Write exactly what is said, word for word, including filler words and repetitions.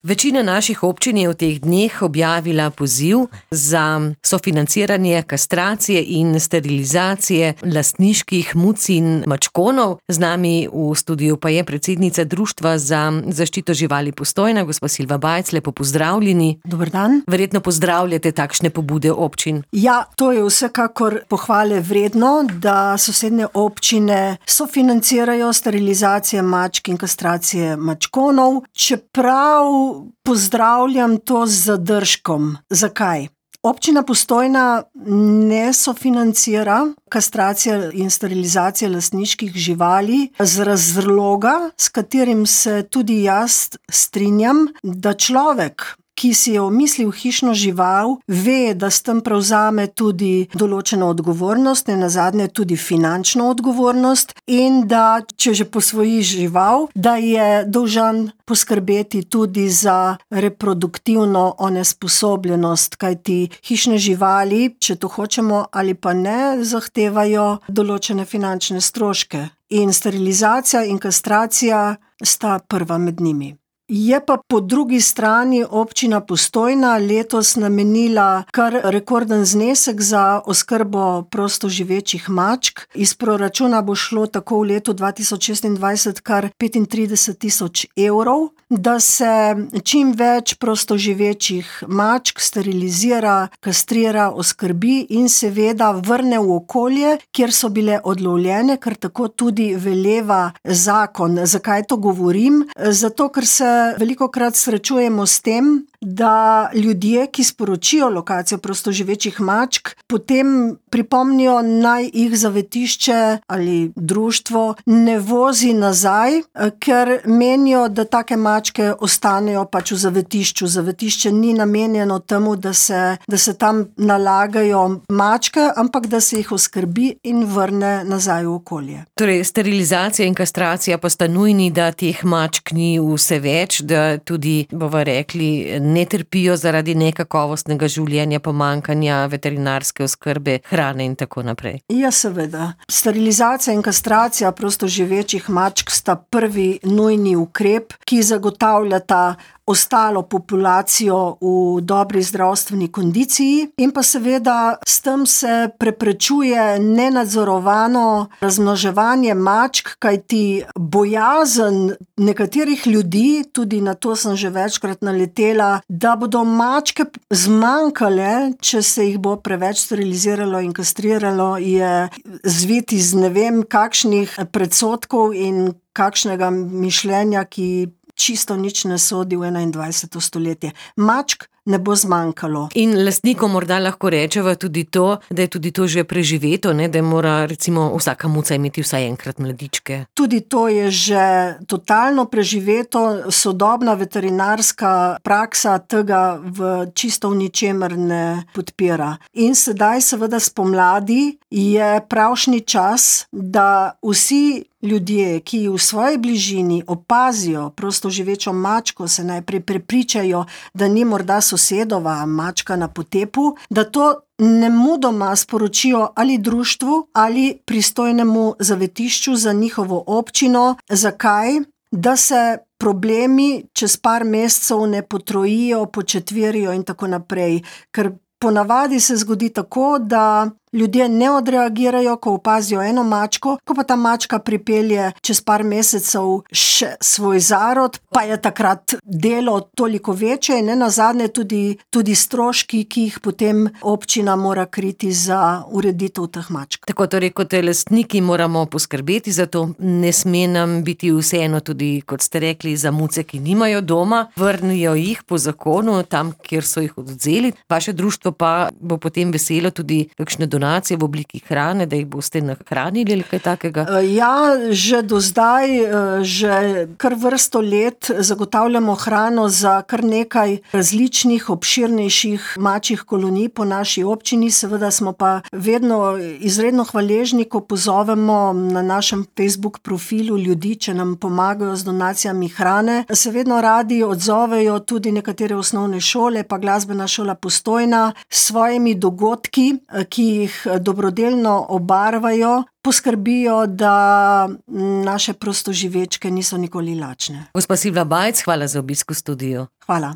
Večina naših občin je v teh dneh objavila poziv za sofinanciranje kastracije in sterilizacije lastniških muc in mačkonov. Z nami v studiu pa je predsednica Društva za zaščito živali Postojna, gospa Silva Bajc, lepo pozdravljeni. Dober dan. Verjetno pozdravljate takšne pobude občin. Ja, to je vsekakor pohvale vredno, da sosednje občine sofinancirajo sterilizacije mačk in kastracije mačkonov, čeprav pozdravljam to z zadržkom. Zakaj? Občina Postojna ne sofinancira kastracije in sterilizacije lastniških živali z razloga, s katerim se tudi jaz strinjam, da človek, ki si je omislil hišno žival, ve, da s tem prevzame tudi določeno odgovornost, nenazadnje tudi finančno odgovornost, in da, če že posvoji žival, da je dolžan poskrbeti tudi za reproduktivno onesposobljenost, kajti hišne živali, če to hočemo ali pa ne, zahtevajo določene finančne stroške. In sterilizacija in kastracija sta prva med njimi. Je pa po drugi strani občina Postojna letos namenila kar rekorden znesek za oskrbo prostoživečih mačk. Iz proračuna bo šlo tako v letu dva tisoč šestindvajset kar petintrideset tisoč evrov, da se čim več prostoživečih mačk sterilizira, kastrira, oskrbi in seveda vrne v okolje, kjer so bile odlovljene, ker tako tudi veleva zakon. Zakaj to govorim? Zato, ker se velikokrat srečujemo s tem, da ljudje, ki sporočijo lokacijo prostoživečih mačk, potem pripomnijo, naj jih zavetišče ali društvo ne vozi nazaj, ker menijo, da take mačke ostanejo pač v zavetišču. Zavetišče ni namenjeno temu, da se, da se tam nalagajo mačke, ampak da se jih oskrbi in vrne nazaj v okolje. Torej, sterilizacija in kastracija pa sta nujni, da teh mačk ni vse več, da tudi, bova rekli, ne trpijo zaradi nekakovostnega življenja, pomanjkanja veterinarske oskrbe, hrane in tako naprej. Ja, seveda. Sterilizacija in kastracija prostoživečih mačk sta prvi nujni ukrep, ki zagotavljata ostalo populacijo v dobri zdravstveni kondiciji in pa seveda s tem se preprečuje nenadzorovano razmnoževanje mačk, kajti bojazen nekaterih ljudi, tudi na to sem že večkrat naletela, da bodo mačke zmanjkale, če se jih bo preveč steriliziralo in kastriralo, je zvit iz ne vem kakšnih predsodkov in kakšnega mišljenja, ki čisto nič ne sodi v enaindvajseto stoletje. Mačk ne bo zmanjkalo. In lastnikom morda lahko rečeva tudi to, da je tudi to že preživeto, ne? Da mora recimo vsaka muca imeti vsaj enkrat mladičke. Tudi to je že totalno preživeto, sodobna veterinarska praksa tega v čisto v ničemer ne podpira. In sedaj seveda spomladi je pravšnji čas, da vsi ljudje, ki v svoji bližini opazijo prostoživečo mačko, se najprej prepričajo, da ni morda sosedova mačka na potepu, da to nemudoma sporočijo ali društvu ali pristojnemu zavetišču za njihovo občino. Zakaj? Da se problemi čez par mesecev ne potrojijo, početverijo in tako naprej. Ker ponavadi se zgodi tako, da ljudje ne odreagirajo, ko opazijo eno mačko, ko pa ta mačka pripelje čez par mesecev še svoj zarod, pa je takrat delo toliko večje in nenazadnje tudi, tudi stroški, ki jih potem občina mora kriti za ureditev teh mačk. Tako torej, kot lastniki moramo poskrbeti za to, ne sme nam biti vseeno tudi, kot ste rekli, za muce, ki nimajo doma, vrnijo jih po zakonu tam, kjer so jih odvzeli. Vaše društvo pa bo potem veselo tudi kakšne donacije v obliki hrane, da jih boste nahranili ali kaj takega? Ja, že do zdaj, že kar vrsto let zagotavljamo hrano za kar nekaj različnih, obširnejših mačjih kolonij po naši občini. Seveda smo pa vedno izredno hvaležni, ko pozovemo na našem Facebook profilu ljudi, če nam pomagajo z donacijami hrane. Se vedno radi odzovejo tudi nekatere osnovne šole, pa glasbena šola Postojna s svojimi dogodki, ki jih dobrodelno obarvajo, poskrbijo, da naše prostoživečke niso nikoli lačne. Gospa Silvia Bajc, hvala za obisk v studiu. Hvala.